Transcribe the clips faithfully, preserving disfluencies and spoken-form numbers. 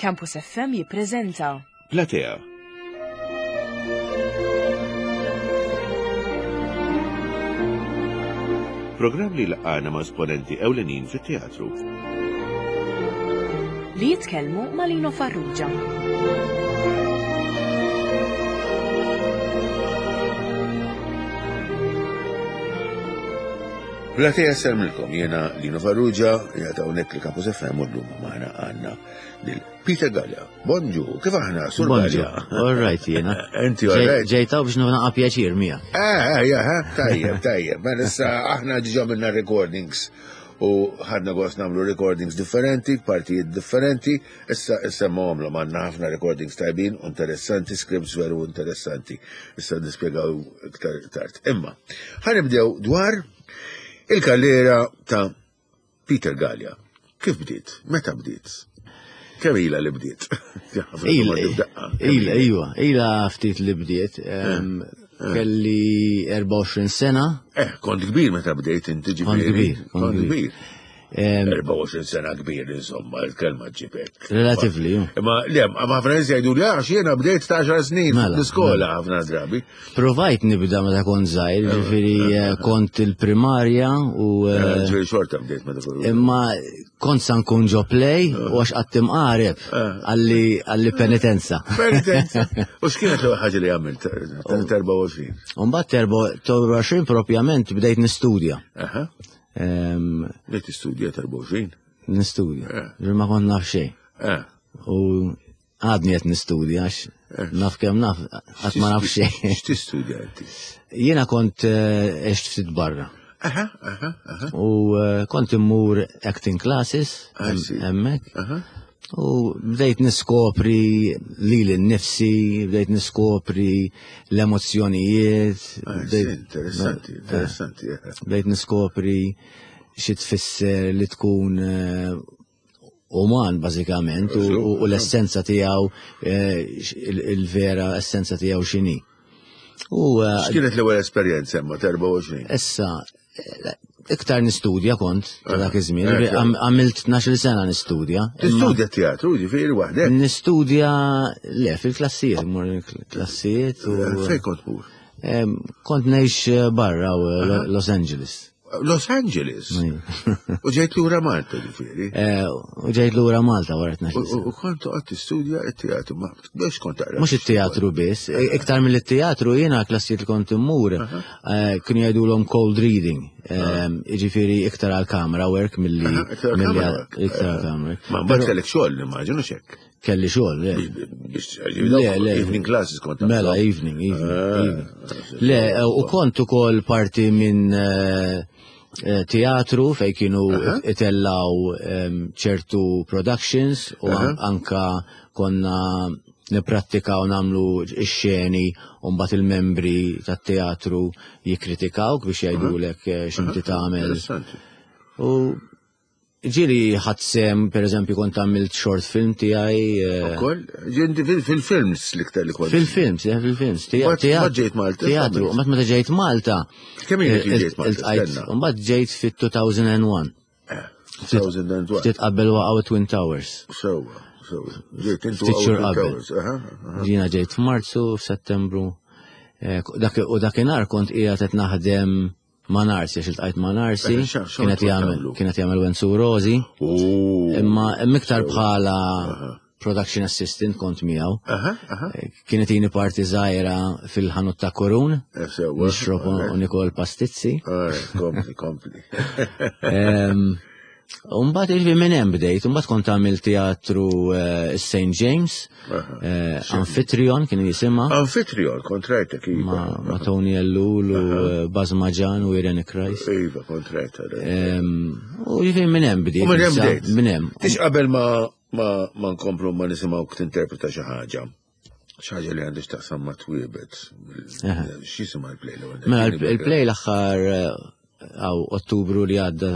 Campus F M jippreżenta Platea. Programm li laqana ma' esponenti ewlenin fit-teatru. Li jitkellmu ma' Lino Farrugia. Platea sellmilkom, jena Lino Farrugia, jgħata hawnhekk li Campus F M u llum magħna għandna lil Peter Galea. Bonġu, kif aħna, Sur Bonġu, Galea? All right jena. Inti all right? Ġejtaw biex naqa pjaċir miegħek. Eh, eh, ja, eh, tajjeb, tajjeb. Ma issa aħna ġiġa minna recordings u ħadna gost nagħmlu recordings differenti, partijiet differenti. Issa issa ma għamlu għandna ħafna recordings tajbin, interessanti, scripts veru interessanti. Issa nispjegaw iktar tard. Imma, ħa nibdew dwar il-karriera ta' Peter Galea. Kif bdiet? Meta bdiet? Kemm ilha li bdiet? Ila, ila, iwa, ila ftit li bdiet. Em, Kelli erbgħa u għoxrin sena. Eh, kont kbir meta bdejt inti ġifieri. Kont kbir, kont Kont kbir. kbir. Em, erbgħa u għoxrin sena kbir, insomma, il-kelma ġibek. Relatively, ju. Imma le, ma ħafna nies jgħidu li għax jiena bdejt ta' għaxar snin Mela, l-iskola ħafna drabi. Provajt nibda meta kont żgħir, ġifieri eh, kont il-primarja u eh, Ġifieri xorta bdejt meta kont. Imma kont sa nkun ġo play u għax qatt imqareb għalli għalli penitenza. Penitenza. U x'kienet l-ewwel ħaġa li għamilt ta' erbgħa u għoxrin? U mbagħad erbgħa u għoxrin propjament bdejt nistudja. Aha. Em, Bdejt tistudja ta' erbgħa u għoxrin? Nistudja. Eh. Ġifieri ma kont naf xejn. Eh. U għadni qed nistudja għax naf kemm naf, qatt ma naf xejn. X'tistudja inti? Jiena kont eh, għext ftit barra. Aha, aha, aha. U eh, kont immur acting classes I see. hemmhekk. Aha. U bdejt niskopri lili nnifsi, bdejt niskopri l-emozjonijiet. I see, bdejt- interessanti, interessanti. eh. Bdejt niskopri xi tfisser li tkun eh, uman bażikament u, u, u l-essenza tiegħu eh, x- il- il-vera essenza tiegħu x'inhi. U eh, X'kienet l-ewwel esperjenza imma ta' erbgħa u għoxrin? Issa eh, iktar nistudja kont ta' dak iż-żmien, Eh, Għam- għamilt tnax-il sena nistudja. Imma Tistudja teatru, ġifieri waħdek? Nistudja le fil-klassijiet, mur klassijiet u Fejn kont mur? Em, kont ngħix eh, barra u eh, Los Angeles. Los Angeles. U ġejt lura Malta ġifieri. Eh, U ġejt lura Malta wara tnax-il U sena. u kont toqgħod tistudja t-teatru, ma biex kont taqra. Mhux it-teatru biss, e- iktar mill-teatru jiena klassijiet li kont immur, eh, kienu jgħidulhom cold reading, em, jiġifieri iktar għal camera work milli Aha, iktar għal milli camera għal- work. iktar għal camera work. Ma mbagħad kellek xogħol nimmaġinu xek. Kelli xogħol, le. Biex Le, le. evening classes kont Mela, tagħmel. evening, evening, Ah, evening. Le, eh, u kont ukoll parti minn eh, eh, teatru fej kienu itellaw em, ċertu productions u an- anka konna niprattikaw nagħmlu ix-xeni u mbagħad il-membri tat-teatru jikkritikawk biex jgħidulek eh, x'inti tagħmel. Interessanti. U ġieli ħadt sehem, per eżempju, kont għamilt short film tiegħi. eh, Ukoll, ġinti fil-films l-iktar li kont. Fil-films, eh, fil-films. Te- Mbagħad- teatru- mbagħad ġejt Malta, Teatru, x'għamilt? mbagħad meta ġejt Malta. Kemm ilek li eh, ġejt Malta? iltqajt- Stenna. Mbagħad ġejt fit-elfejn u wieħed. elfejn u wieħed. Ftit qabel waqgħu Twin Towers. Sewwa, sewwa. Ġejt intu Ftit xhur għaw qabel. Towers, aha, aha. Jiena ġejt f'Marzu, f'Settembru. Eh, dak- U dakinhar kont qiegħed qed naħdem ma' Narsi, għax iltqajt ma' Narsi, Eh, xa- xa kienet kont jagħmel tagħmlu? kienet jagħmel Wenzu Rosi, Oh. imma imma iktar bħala production assistant kont miegħu. Aha, aha. Eh, Kienet jini parti żgħira fil-ħanut ta' Korun, Eh, Sewwa. nixrob u nikol pastizzi. Alright, kompli, kompli. Em, Umbagħad il minn hemm bdejt, umbagħad kont għamil teatru eh, Saint James, Aha. eh, Amphitryon kien jisimha, Amphitryon, kont rajtek, iva. ma, ma Tony Ellul u eh, Baz Maġan u Irene Christ. Iva, kont rajta. Em, U ġifieri minn hemm bdejt. U minn hemm issa, bdejt. Minn hemm. Tix qabel ma ma ma nkomplu ma nisimgħu tinterpreta xi ħaġa. Xi ħaġa li għandix taqsam ma twiebet. X'jisimha l-play l-ewwel? Mela il-play l-aħħar eh, għaw Ottubru li għadda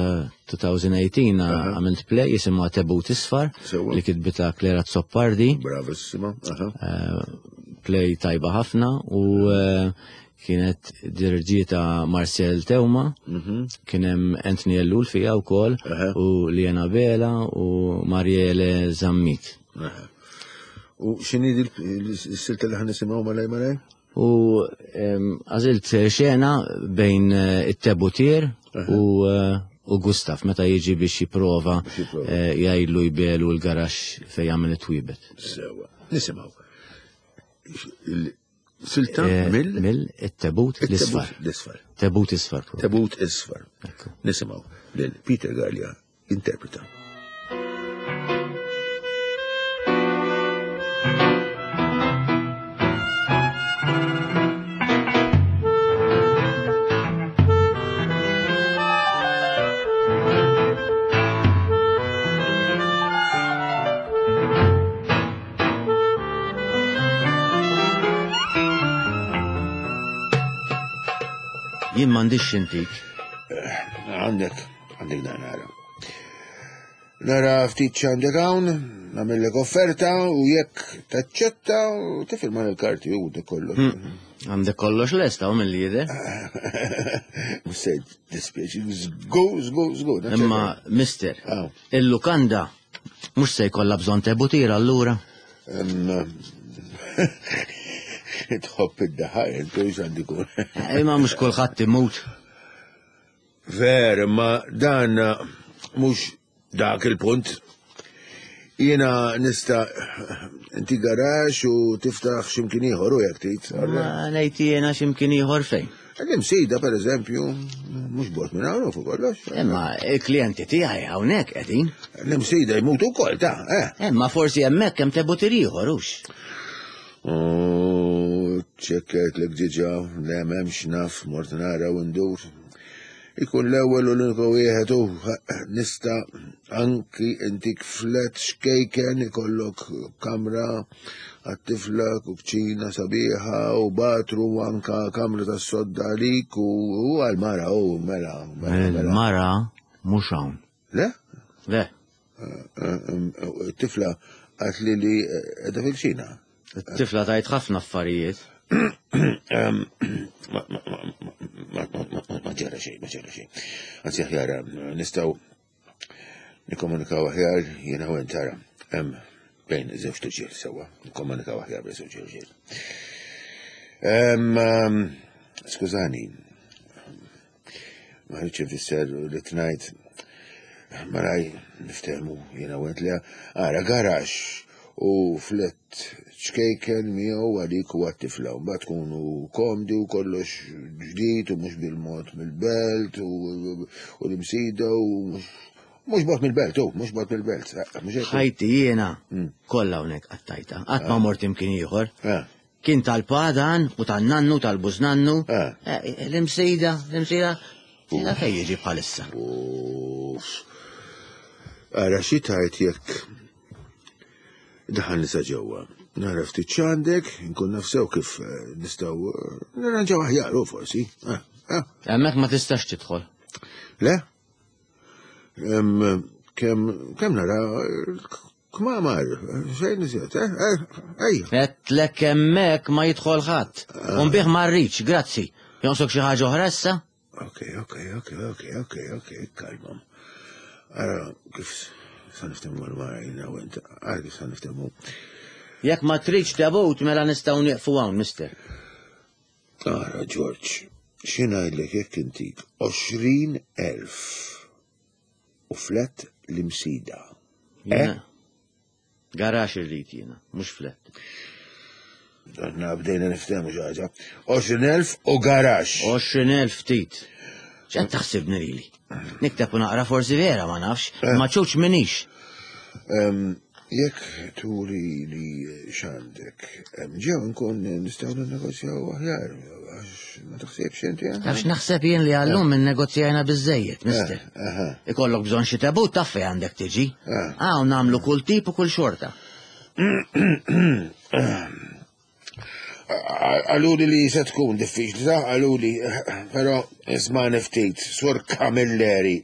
elfejn u tmintax għamilt play jisimha Tebut Isfar Sewwa. li kitbita Claire Azzopardi. Bravissima. Aha. Eh, play tajba ħafna u eh, kienet dirġita Marcel Teuma, kien hemm Anthony Ellul fija wkoll Aha. u Liena Bela u Mariele Zammit. Aha. U x'inhi s-silta li ħa nisimgħu malaj malaj? U għażilt xena bejn it-tebutier u u Gustaf meta jiġi biex jipprova jgħidlu jbelu l-garaxx fejn jagħmel it-twibet. Sewa. Nisimgħu. Silta mill? Mill it-tebut l-isfar. L-isfar. Tebut isfar. Tebut isfar. Nisimgħu lil Peter Gallia interpreta. Jien m'għandix xintik. Għandek, għandek dan nara. Nara ftit x'għandek hawn, nagħmellek offerta u jekk taċċetta u tifirma l-karti u dik kollox. Għandek kollox lesta u mill jidher. Mhux se dispjaċi, żgur, żgur, żgur. Imma, mister, il-lukanda mhux se jkollha bżonn tebutira allura. Tħobb id-daħaq, intu x'għandi kun. Imma mhux kulħadd imut. Ver, ma dan mhux dak il-punt. Jiena nista' inti garax u tiftaħ x'imkien ieħor u jekk trid. Ma ngħid jiena x'imkien ieħor fejn. L-imsida, per eżempju, mhux bot minn hawn fuq kollox. Imma il-klijenti tiegħi hawnhekk qegħdin. L-imsida jmutu wkoll ta' eh. Imma forsi hemmhekk hemm tebutir ieħor hux. U ċekkajt l ġiġa, le m'hemmx naf, mort nara u ndur. Ikun l-ewwel u l-uniku wieħed u nista' anki intik flet xkejken ikollok kamra għat-tifla u kċina sabiħa u batru u anka kamra tas-sodda għalik u għal-mara u mela. Il-mara mhux hawn. Le? Le. Tifla għatli li qiegħda fil-kċina. Tifla tajt ħafna affarijiet. Ma ġara xejn, ma ġara xejn. Anzi aħjar nistgħu nikkomunikaw aħjar jiena u int tara. Hemm bejn żewġ irġiel sewwa, nikkomunikaw aħjar bejn żewġ irġiel. Skużani, ma rridx infisser li tnajt maraj niftehmu jiena u int li ara garax u flet ċkejken miegħu għalik u għat-tifla. Mbagħad tkunu komdi u kollox ġdid u mhux bil-mod mill-belt u l-imsida u mhux bot mill-belt, u mhux bot mill-belt. Ħajti jiena kollha hawnhekk qattajta, qatt ma mort imkien ieħor. Kien tal-padan u tan-nannu tal-bużnannu. L-imsida, l-imsida, la fejn jiġi bħalissa. Ara xi tajt jekk daħal nisa ġewwa. Nara ftit x'għandek, nkun nafsew kif nistgħu nirranġaw aħjar u forsi. Hemmhekk ma tistax tidħol. Le? Kemm kemm nara kmamar, xejn iżjed, eh? Ejja. Għedtlek hemmhekk ma jidħol ħadd. U nbih ma rridx, grazzi. Jonqsok xi ħaġa oħra issa? Ok, ok, ok, ok, ok, ok, kalmam. Ara kif sa niftehmu mal-mara jiena u int, ara kif sa niftehmu. Jekk ma tridx tebut mela nistgħu nieqfu hawn, mister. Ara, George, xi ngħidlek jekk intik għoxrin elf u flet l-imsida. Eh? Garax irrid jiena, mhux flet. Aħna bdejna niftehmu xi ħaġa. Għoxrin elf u garax. Għoxrin elf ftit. X'qed taħsibni lili? Nikteb u naqra forsi vera ma nafx, ma ċuċ minix. Jekk turi li x'għandek, ġew nkun nistgħu ninnegozjaw aħjar, għax ma taħsibx inti. Għax naħseb jien li għallum innegozjajna biżejjed, mister. Ikollok bżonn xi tebut taf fejn għandek tiġi. Hawn nagħmlu kull tip u kull xorta. Għaluli li se tkun diffiċli, ta' għaluli, però isma' ftit, Sur Camilleri.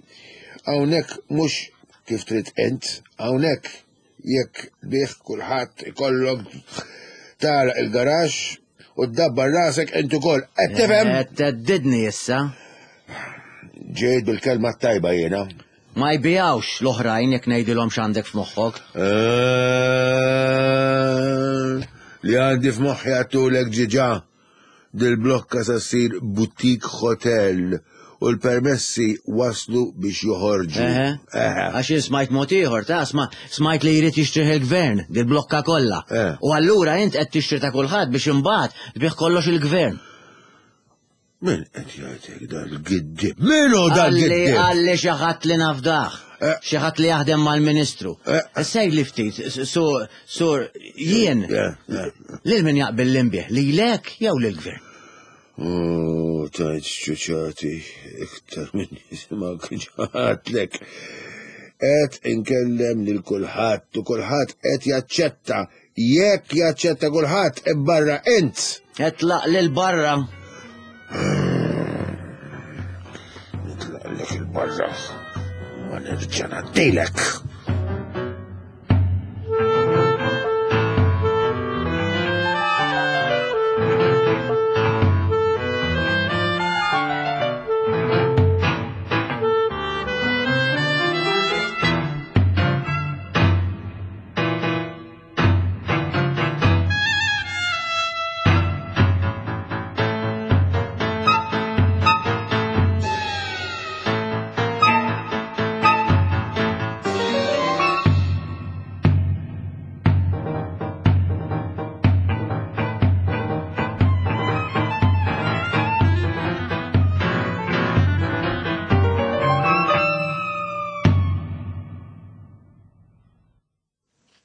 Hawnhekk mhux kif trid int, hawnhekk jekk bih kulħadd ikollok tara il-garax u ddabbar rasek int ukoll. Qed tifhem? Qed theddidni issa. Ġejt bil-kelma tajba jiena. Ma jbijawx l-oħrajn jekk ngħidilhom x'għandek f'moħħok. Li għandi f'moħħi għedtulek diġà dil-blokka sa ssir boutique hotel u l-permessi waslu biex joħorġu. Eħe. Eħe. Għax jien smajt mod ieħor, ta' sma, smajt li jrid jixtrih il-gvern, dil-blokka kollha. Eh. U allura int qed tixtri ta' kulħadd biex imbagħad tbih kollox il-gvern. Min qed jgħidlek dal-giddib? Min hu Għalli dal-giddib? għalli xi ħadd li nafdah. Eh. Xi ħadd li jaħdem mal-ministru. Eh. Sej li ftit, sur, sur, jien, Yeah, yeah. lil min jaqbel l-imbieħ, lilek jew lill-gvern? Oh, tajt ċuċati, iktar minn jisimak ġaħatlek. Et inkellem lil kulħadd u kulħadd qed jaċċetta. Jekk jaċċetta kulħadd, barra int. Etlaq lil barra. Nitlaqlek il-barra. Ma nerġa' ngħaddilek.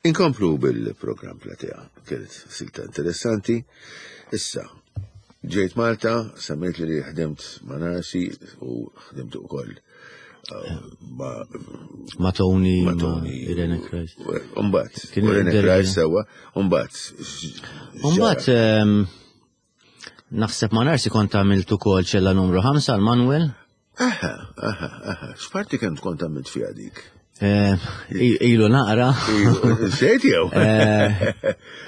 Inkomplu bil-program Platea, kienet silta interessanti. Issa, ġejt Malta, semmejt li ħdimt ma' Narsi u ħdimt ukoll uh, ma' Ma' Tony, ma' Tony. Irene Christ. Umbat, Kien Irene derbi. Christ sewa, umbat. Umbat, ehm, naħseb ma' Narsi kont għamilt ukoll ċella numru ħamsa għal Manuel. Aha, aha, aha. X'parti kemm tkun tagħmilt fiha dik? Eh, i- Ilu naqra. Sejt jew? Eh,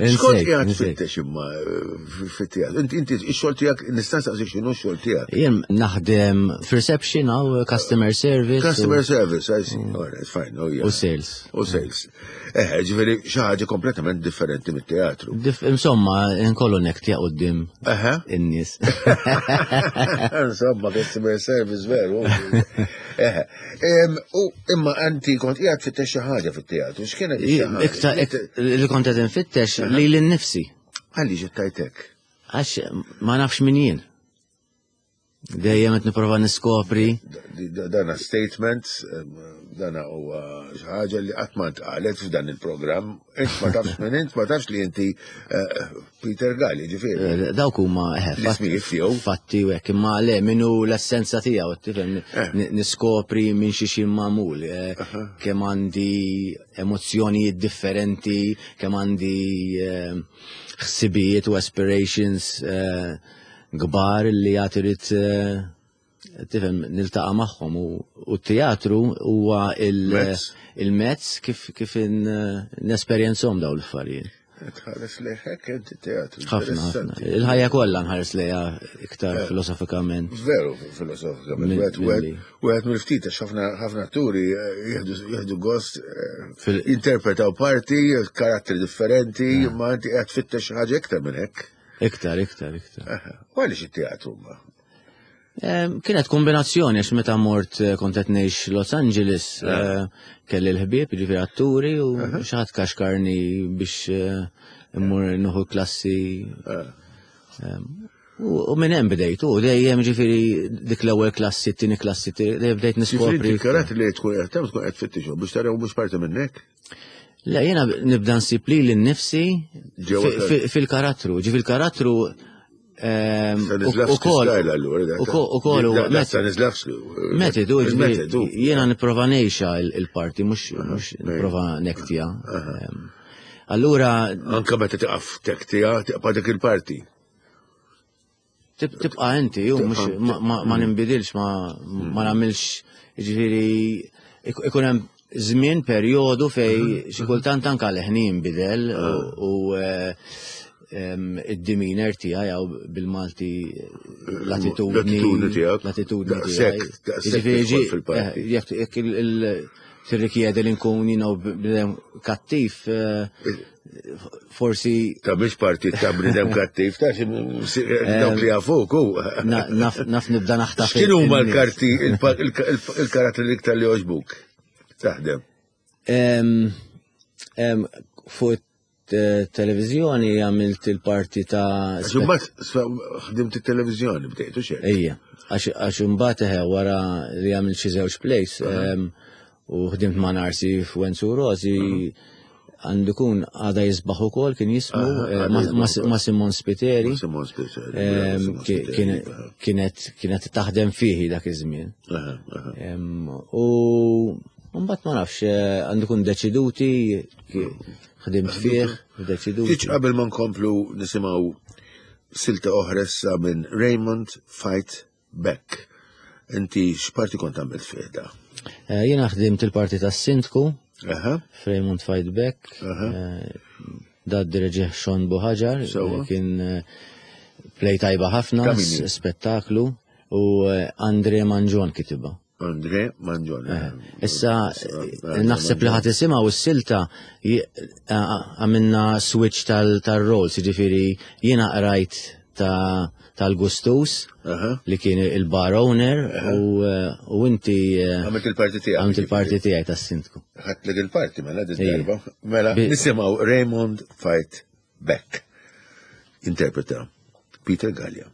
Xkont insejt, qiegħed insejt. tfittex imma eh, fit-teatru. Inti inti x-xogħol tiegħek nista' nsaqsik x'inhu x-xogħol tiegħek. Jien naħdem f'reception għaw customer service. u- Customer service, I see. All right, fine. Oh, yeah. U sales. U sales. Eh, ġifieri xi ħaġa kompletament differenti mit-teatru. Dif- Insomma, nkollu nektja qoddim Aha. in-nies. Insomma, customer service veru. Eh, em, U imma anti kont qiegħed tfittex xi ħaġa fit-teatru. X'kienet xi ħaġa? Iktar li kont qed infittex li l-nifsi. Għalli ġittajtek. Għax ma nafx min jien. Dejjem qed nipprova niskopri. Dana statement, em, dana huwa xi ħaġa li qatt ma ntqalet f'dan il-programm. Int ma tafx minn int, ma tafx li inti eh, Peter Galli, ġifieri. Eh, Dawk huma eh, L-ismijiet tiegħu. fatti u hekk, imma le minnu l-essenza tiegħu, tifhem, Eh. n- niskopri minn xi xi magħmul, eh, kemm għandi emozzjonijiet differenti, kemm għandi eh, ħsibijiet u aspirations eh, kbar li għad irid eh, tifhem niltaqa' magħhom u u t-teatru huwa il- Mezz. il-mezz kif kif in- nesperjenzhom dawn l-affarijiet. Tħares lejhek inti teatru. ħafna, ħafna. Interessanti. Il-ħajja kollha nħares lejha iktar filosofikament. Veru, filosofikament. Mill- Wieħed- wieħed- milli. Wieħed mill-ftit, għax ħafna ħafna atturi eh, jieħdu jieħdu gost eh, Fil- jinterpretaw parti, karatteri differenti, ma inti qed tfittex xi ħaġa iktar minn hekk. Iktar, iktar, iktar. Aha. U għaliex it-teatru ma? Em, Kienet kombinazzjoni għax meta mort eh, kont qed ngħix Los Angeles, eh, kelli l-ħbieb, jiġifieri atturi u xi ħadd kaxkarni biex eh, immur nieħu klassi. Em, U u minn hemm bdejt, u dejjem ġifieri dik l-ewwel klassi, t-tieni klassi, t- dejjem bdejt Ġifieri niskopri. inti karatteri li tkun qed tagħmel tkun qed tfittixhom biex taraw mhux parti minnek. Le, jena nibda nsib li l-nifsi Ġewwa fi- fi- fil-karattru. Ġi fil-karattru ehm, u Stanislavski kol. style allura. dak. U ko- u kol Da- da met- Stanislavski. Metodu, ġifieri, Il-metodu. jena niprofa nejxa il-parti, mux mux niprofa nektija. Ehm, Allura, Anka meta tiqaf tektija, tiqpa dik il-parti. tib- tibqa inti, ju, mux ma- ma ma ninbidilx, ma ma nagħmilx, ġifieri, ik- ikun hemm żmien perjodu fej xi kultant anka leħni jinbidel u- u eh, em, id-demeanor tiegħi jew bil-Malti l-attitudni L-attitudni tiegħek. L-attitudni Daqshekk, tiegħi. daqshekk Jiġifieri tidħol ġi- fil-parti. eh, Jekk jekk il- il- tirrikjedi li nkun you know, bnedem kattiv, eh, Forsi. Ta' biex parti ta' bnidem kattiv, ta' dawk li jafuk, u. Naf nibda naħtaf. X'kienu huma l-karti, il-karattri l-iktar li għoġbuk? Taħdem. Fuq televizjoni għamilt il-parti ta' Għax imbagħad ħdimt it-televizjoni bdejtu xejn. Ejja, għax imbagħad eħe wara li għamilt xi żewġ plays u ħdimt ma' Narsi f'Wenzu Rosi għandu kun għada jisbaħ ukoll kien jismu ma' Simon Spiteri. Simon Spiteri. Kienet taħdem fihi dak iż-żmien. U mbagħad ma nafx għandu kun deċiduti ħdimt fih, deċiduti. Tiċ qabel ma nkomplu nisimgħu silta oħra issa minn Raymond Fight Back. Inti x'parti kont għamilt fih da? Jiena ħdimt il-parti tas-sindku. Raymond Fight Back. Da d-direġih Sean Buhaġar, kien play tajba ħafna, spettaklu, u Andre Manġon kitibha. Andre Manġon. Issa, naħseb li ħat isimha u s-silta għamilna switch tal-roles, jiġifieri jiena qrajt tal-Gustus li kien il-bar owner u inti għamilt il-parti tiegħek. Għamilt il-parti tiegħi tas-sindku. Ħadtlek il-parti mela din darba. Mela nisimgħu Raymond Fight Back. Interpreta Peter Gallia.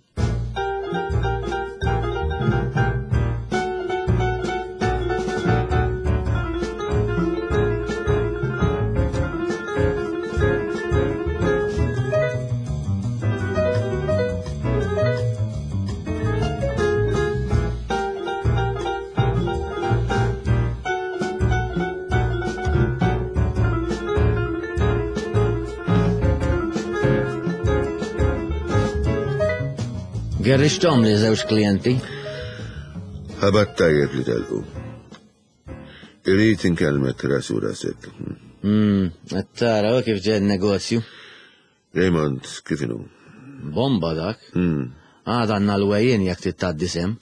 Gerrixtom li żewġ klijenti. Ħabat tajjeb li telqu. Irrid inkellmek rasu rasek. Mm, tara kif ġed negozju. Raymond, kif inhu? Bomba dak. Għad għandna l-wejjin jekk titgħaddi sem.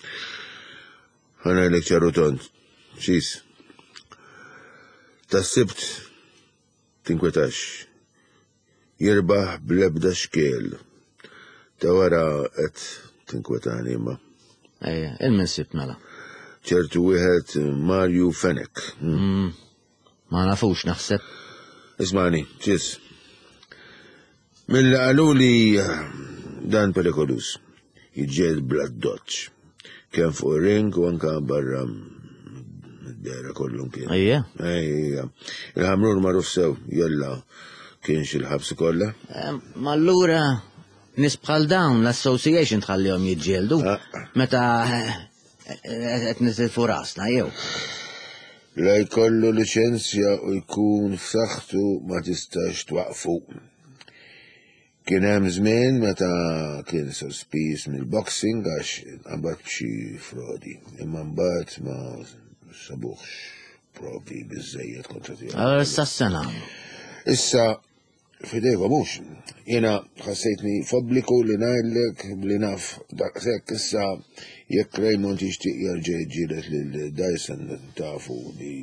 Ħa ngħidlek ċaru tont. Xis. Tas-Sibt tinkwetax. Jirbaħ bl-ebda xkiel. Ta' wara qed tinkwetani imma. Ejja, il-min sibt mela. ċertu wieħed Mario Fenech. Ma nafux naħseb. Ismani, ċis. Mill qalu li dan perikolus. Jiġġieled bla doċ. Kemm fuq ring u anka barra dera kollu kien. Ejja. Ejja. Il-Ħamrun magħruf sew, jalla kienx il-ħabs kollha. Ma allura nies bħal dawn l-association tħallihom jiġġieldu. Meta qed nitilfu rasna jew. La jkollu liċenzja u jkun f'saħħtu ma tistax twaqfu. Kien hemm żmien meta kien sospiż mill-boxing għax nqabad b'xi frodi, imma mbagħad ma sabuħx provi biżejjed kontra tiegħu. Allora issa s-sena. Issa fidejkom mhux. Jiena ħassejtni f'obbligu li ngħidlek li naf daqshekk issa jekk Raymond jixtieq jerġa' jiġġieled lil Dyson tafu li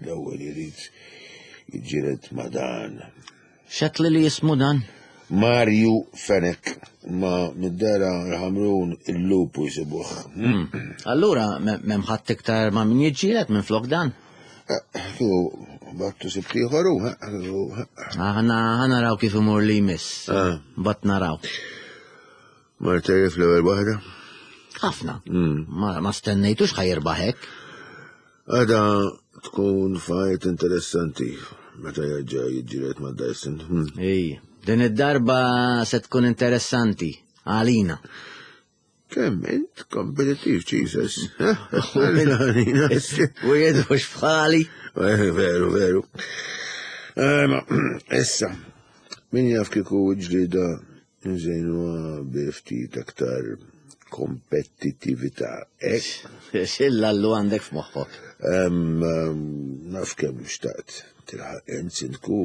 l-ewwel irid jiġġieled ma' dan. X'għedtli li jismu dan? Mario Fenech, ma mid-dera l-Ħamrun il-lupu jisibuh. Allura m'hemm ħadd iktar ma' min jiġġieled minn flok dan? Kieku battu sibt ieħor hu, Aħna naraw kif imur li jmiss. Bat naraw. Mar tajjeb l-ewwel waħda? Ħafna. Ma stennejtux ħa jirbaħ hekk. Għada tkun fajt interessanti meta jerġa' jiġġieled ma' Dyson. Ej, din id-darba se tkun interessanti għalina. Kemm int kompetittiv, Jesus. U jedux bħali. Veru, veru. Ma, issa, min jaf kieku ġlida nżejnuha bi ftit aktar kompetittività. Xilla l għandek f'moħħok? Naf kemm xtaqt tilħaq int sindku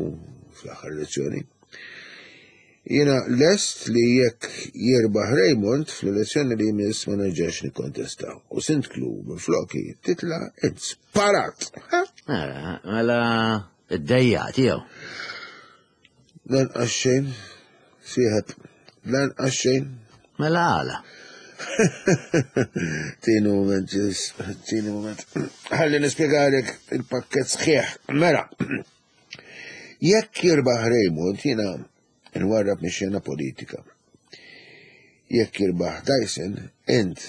fl-aħħar elezzjoni. Jiena lest li jekk jirbaħ Raymond fl-elezzjoni li jmiss ma nerġax nikkontesta. U sindklu minn floki titla int sparat. Mela id-dejja tiegħu. Lanqas xejn, sieħeb, lanqas xejn. Mela għala. Tini moment, ġis, tini moment. Ħalli nispjegalek il-pakket sħiħ. Mela, jekk jirbaħ Raymond, jiena nwarrab mix-xena politika. Jekk jirbaħ Dyson, int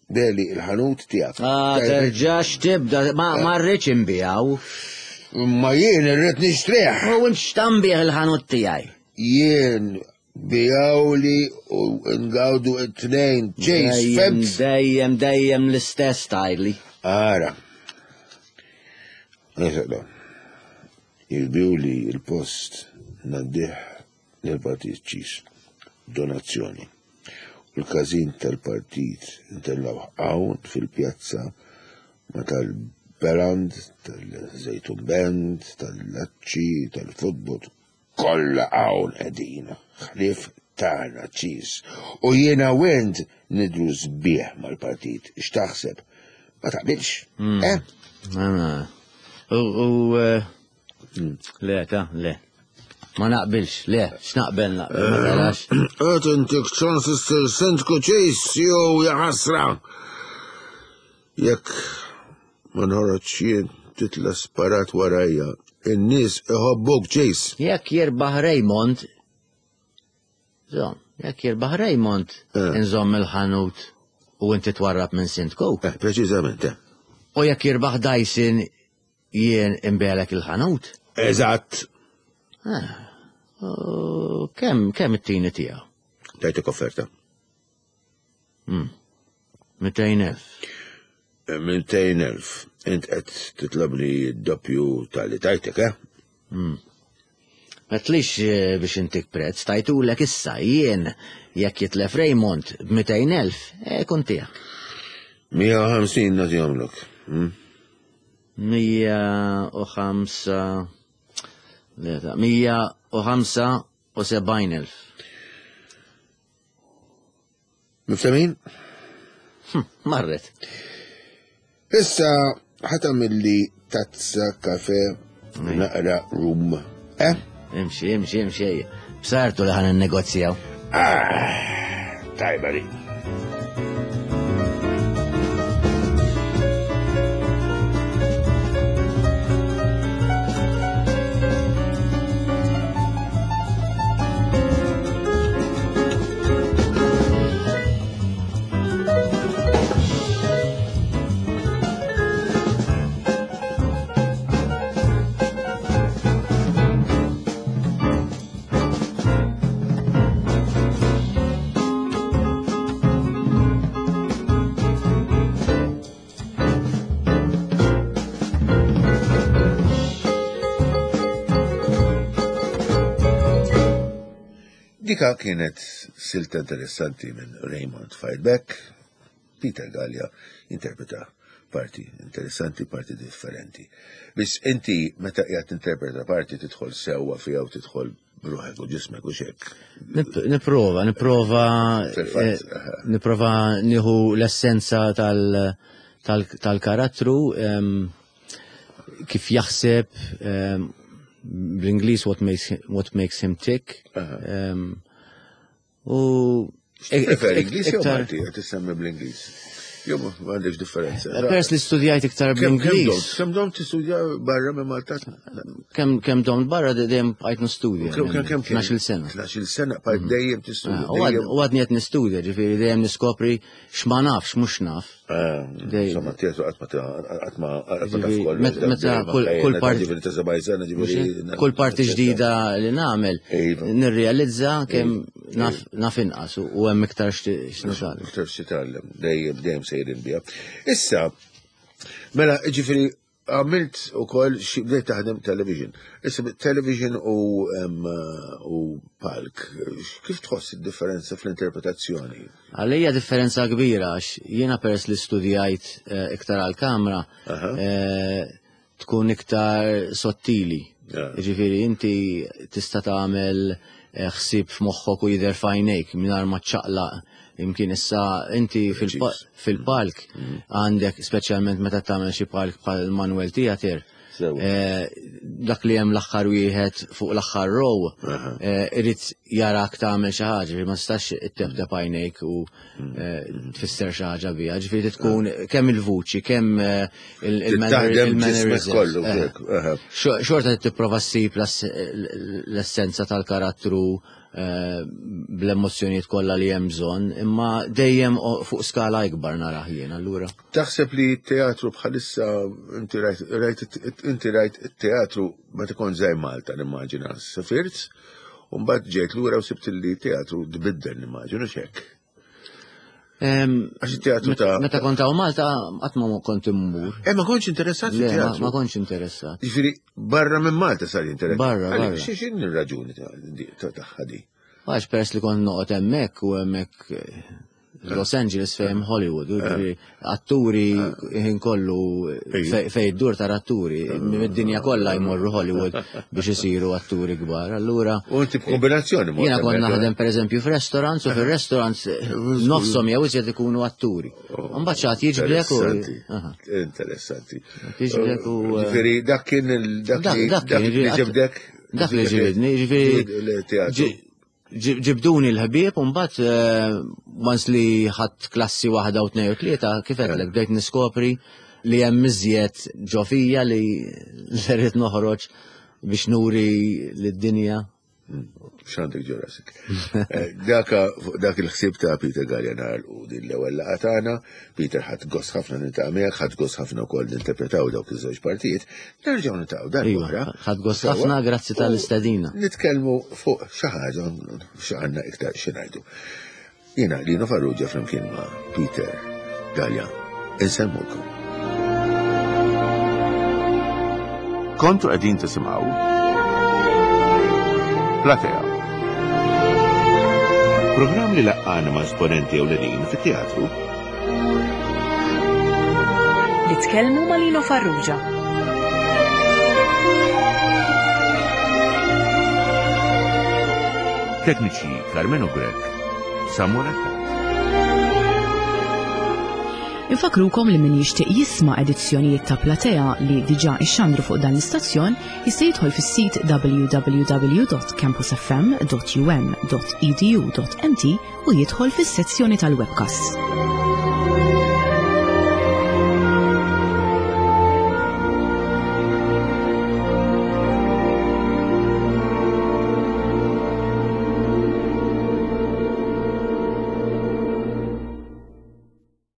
beli il-ħanut tiegħek. Ah, terġax tibda, ma ma rridx inbijaw. Ma jien irrid nixtrih. U int x'tambih il-ħanut tiegħi. Jien bijawli u ngawdu it-tnejn. Chase, Dejjem, femt? dejjem, dejjem l-istess tajli. Ara. Nisaqda. Jilbiw li il-post naddih lill-partit ċis. Donazzjoni. U l-każin tal-partit intellaw hawn fil-pjazza ma tal-Beland, tal-Zejtun Band, tal-Laċċi, tal-Futbol, kollha hawn qegħdin. Ħlief tagħna ċis. U jiena u int nidru sbieħ mal-partit. X'taħseb? Ma taqbilx? Eh? Ah, U, u, eh, le, ta, le. Ma naqbilx, le, x'naqbel naqbel, ma tarax. Qed intik ċans issir sindku ċis jew jaħasra. Jekk ma nħoroġ jien titla sparat warajja, in-nies iħobbuk ċis. Jekk jirbaħ Raymond, zom, jekk jirbaħ Raymond, Eh. inżomm il-ħanut u inti twarrab minn sindku. Eh, preċiżament, eh. U jekk jirbaħ Dyson, jien imbelek il-ħanut. Eżatt. U Kemm, kemm it-tini tiegħu? Tajtek offerta. mitejn elf. Mintejn elf. Int qed titlabni d-doppju tal-li tajtek, eh? Ma tlix eh, biex intik prezz, tajtulek issa jien jekk jitlef Raymond b'mitejn elf, eh, kun tiegħek. mija u ħamsin nagħtihomlok. hm? Mija u ħamsa, le, ta' mija u ħamsa u sebgħin elf. Miftemin? Hm, Marret. Issa ħatamilli tazza kafe naqra rum. Eh? Imxi, imxi, imxi. ejja. Bsartu li ħan negozjaw. Ah, tajba li. Dika kienet silta interessanti minn Raymond Fireback, Peter Gallia interpreta parti interessanti, parti differenti. Biss inti meta qiegħed tinterpreta parti tidħol sewwa fiha u tidħol bruħek u ġismek u xek. Nip- Niprova, niprova, Fil-fatt, eh, aha. niprova nieħu l-essenza tal- tal- tal-karattru, em, kif jaħseb, em, bl-Ingliż what makes him, what makes him tick. em, U Preferi Ingliż jew iktar- Malti, qed tissemmi bl-Ingliż. Jew ma għandekx differenza. Pers li studjajt iktar Kemm kemm bl-Ingliż. domt? Kemm domt tistudja barra minn Malta? Kemm kemm domt barra dejjem bqajt nistudja. Kemm kemm kemm tnax-il sena. tnax-il sena bqajt dejjem tistudja. Ah, U għad- dejjem- u għadni qed nistudja, ġifieri dejjem niskopri x'ma nafx, mhux naf. Ah, Dej- Insomma, teatru qatt ma ta- qatt ma qatt ma taf Ġifieri, kollox. met- meta kull- kull part- Ġifieri ta' sebgħin sena, ġifieri. Kull parti ġdida li nagħmel Iva. nirrealizza kemm naf naf inqas u u hemm iktar x'nitgħallem. Iktar x'titgħallem, dejjem dejjem sejrin biha. Issa, mela, ġifieri għamilt ukoll xi bdejt taħdem television. Issa television u em, u palk, kif tħoss id-differenza fl-interpretazzjoni? Għalija differenza kbira għax jiena peress li studjajt eh, iktar għal-kamra Aha. eh, tkun iktar sottili. Ja. Ġifieri inti tista' tagħmel eh, ħsieb f'moħħok u jidher f'għajnejk mingħajr ma ċċaqlaq. Imkien issa inti fil-pa- Preċiż. fil-palk għandek speċjalment meta tagħmel xi palk bħal Manuel Theater, Eh, dak li hemm l-aħħar wieħed fuq l-aħħar row, eh, irid jarak tagħmel xi ħaġa, ma tistax itteptep għajnejk u eh, tfisser xi ħaġa biha. Ġifieri tkun kemm il-vuċi, kemm il-mannerisms. Kollu. Xorta tipprova ssib l-essenza tal-karattru bl-emozjonijiet kollha li hemm bżonn, imma dejjem fuq skala ikbar narah jien allura. Taħseb li teatru bħalissa inti rajt inti rajt teatru meta kont żgħir Malta nimmaġina sifirt, u mbagħad ġejt lura u sibt li teatru tbiddel nimmaġinu x'hekk. Għax teatru ta' Meta kont hawn Malta qatt ma kont immur. Eh, ma kontx interessat fit-teatru. Ma kontx interessat. Jiġifieri barra minn Malta sar interessat. Barra, barra. X'inhi r-raġuni tagħha di? Għax peress li kont noqgħod hemmhekk u hemmhekk Los Angeles fejn Hollywood, atturi ħin kollu fej id-dur tar atturi, mid-dinja kollha jmorru Hollywood biex isiru atturi kbar. Allura. U inti b'kombinazzjoni Jiena kont naħdem pereżempju f'restaurants u fir-restaurants nofshom jew iżjed ikunu atturi. Mbagħad xi ħadd jiġbdek u. Interessanti. Jiġbdek u. Ġifieri dak kien dak li ġibdek. Dak li ġibdni, ġifieri. Ġibduni l-ħbieb u mbagħad once li ħadt klassi waħda u tnejn u tlieta kif għedtlek bdejt niskopri li hemm iżjed ġo fija li rrid noħroġ biex nuri lid-dinja. X'għandek ġo rasek. Daka dak il-ħsieb ta' Peter Galea nagħlqu din l-ewwel laqgħa tagħna. Peter ħadt gost ħafna niltaqa' miegħek, ħadt gost ħafna wkoll ninterpretaw dawk iż-żewġ partijiet. Nerġgħu niltaqgħu darb'oħra. Ħadt gost ħafna, grazzi tal-istedina. Nitkellmu fuq xi ħaġa x'għandna iktar xi ngħidu. Jiena Lino Farrugia flimkien ma' Peter Galea. Insellmulkom. Kontu qegħdin tisimgħu Platea. Programm li laqqana ma' esponenti ewlenin fit-teatru. Li tkellmu ma' Lino Farrugia. Tekniċi Carmelo Grech, Samuel Attard. Infakrukom li min jixtieq jisma' edizzjonijiet ta' Platea li diġà ixxandru fuq dan l-istazzjon jista' jidħol fis-sit w w w dot campus f m dot u m dot e d u dot m t u jidħol fis-sezzjoni tal-webcast.